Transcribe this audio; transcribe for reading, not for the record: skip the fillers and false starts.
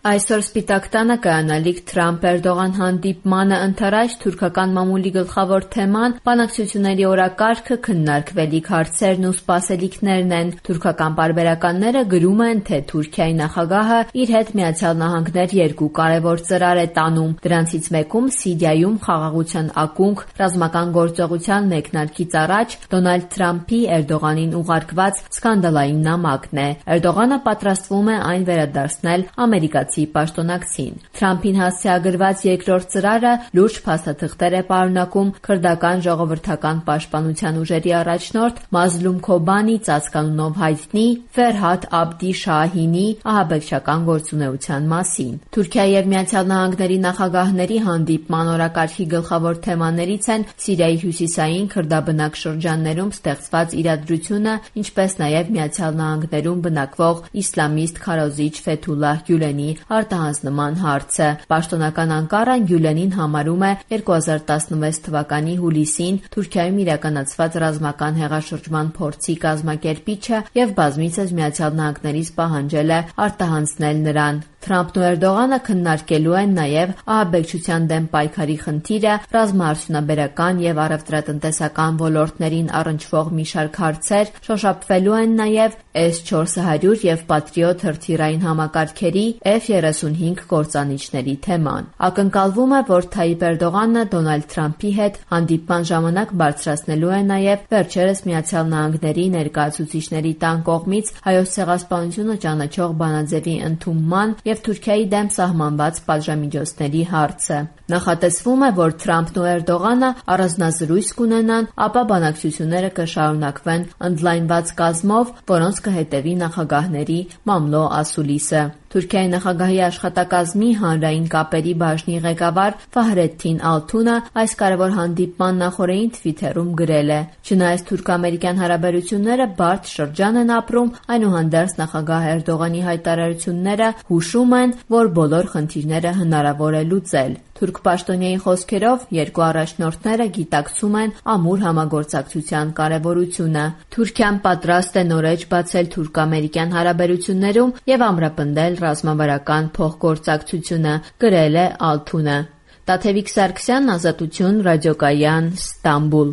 Այսօր Սպիտակ տանը կայանալիք Թրամփ-Էրդողան հանդիպմանը ընթരാճ թուրքական մամուլի գլխավոր թեման բանակցությունների օրակարգը, քննարկվելիք հարցերն ու սպասելիքներն են։ Թուրքական պարբերականները գրում են, թե Թուրքիայի նախագահը իր հետ ԱՄՆ երկու կարևոր ծրար է տանում։ Դրանցից մեկում Սիրիայում խաղաղության ակունք ռազմական գործողության մեկնարկից առաջ Դոնալդ Թրամփի Էրդողանին ուղարկված սկանդալային նամակն է։ Էրդողանը պատրաստվում է այն վերադարձնել ամերիկացի պաշտոնակցին։ Թրամփին հասցեագրված երկրորդ ծրարը լուրջ փաստաթղթեր է պարունակում քրդական ժողովրդական պաշտպանության ուժերի առաջնորդ Մազլում Քոբանի ծածկանունով հայտնի Ֆերհադ Աբդի Շահինի ահաբեկչական գործունեության մասին։ Թուրքիայի եւ ԱՄՆ նախագահների հանդիպման օրակարգի գլխավոր թեմաներից են Սիրիայի հյուսիսային քրդաբնակ շրջաններում ստեղծված իրադրությունը, ինչպես նաեւ ԱՄՆ-ում բնակվող իսլամիստ քարոզիչ Ֆեթուլլահ Գյուլենի արտահանձնման հարցը։ Պաշտոնական Անկարան Գյուլենին համարում է 2016 թվականի հուլիսին Թուրքիայում իրականացված ռազմական հեղաշրջման փորձի կազմակերպիչը եւ բազմիցս ԱՄՆ-ից պահանջել է արտահանձնել նրան։ Թրամփն ու Էրդողանը քննարկելու են նաև ահաբեկչության դեմ պայքարի խնդիրը, ռազմաարդյունաբերական եւ առևտրատնտեսական ոլորտներին առնչվող մի շարք հարցեր, շոշափվելու են նաև S-400 եւ Patriot հրթիռային համակարգերի F-35 կործանիչների թեման։ Ակնկալվում է, որ Թայիպ Էրդողանը Դոնալդ Թրամփի հետ հանդիպման ժամանակ բարձրացնելու է նաև վերջերս ԱՄՆ ներկայացուցիչների տան կողմից Հայոց ցեղասպանությունը ճանաչող բանաձևի ընդունման եւ Թուրքիայի դեմ սահմանված պատժամիջոցների հարցը։ Նախատեսվում է, որ Թրամփն ու Էրդողանը առանձնազրույց կունենան, ապա բանակցությունները կշարունակվեն ընդլայնված կազմով, որոնց կհետևի նախագահների մամլո ասուլիսը։ Թուրքիայի նախագահի աշխատակազմի հանրային կապերի բաժնի ղեկավար Ֆահրեդդին Ալթունը այս կարևոր հանդիպման նախօրեին Թվիթերում գրել է. «Չնայած թուրք-ամերիկյան հարաբերությունները բարդ շրջան են ապրում, այնուհանդերձ նախագահ Էրդողանի հայտարարությունները հուշում են, որ բոլոր խնդիրները հնարավոր է լուծել»։ Թուրք պաշտոնյայի խոսքերով երկու առաջնորդները գիտակցում են ամուր համագործակցության կարևորությունը։ Թուրքիան պատրաստ է նորեջ բացել թուրք-ամերիկյան հարաբերություններում եւ ամրապնդել ռազմավարական փոխգործակցությունը, գրել է Ալթունը։ Տաթևիկ Սարգսյան, Ազատություն, Ռադիոկայան, Ստամբուլ։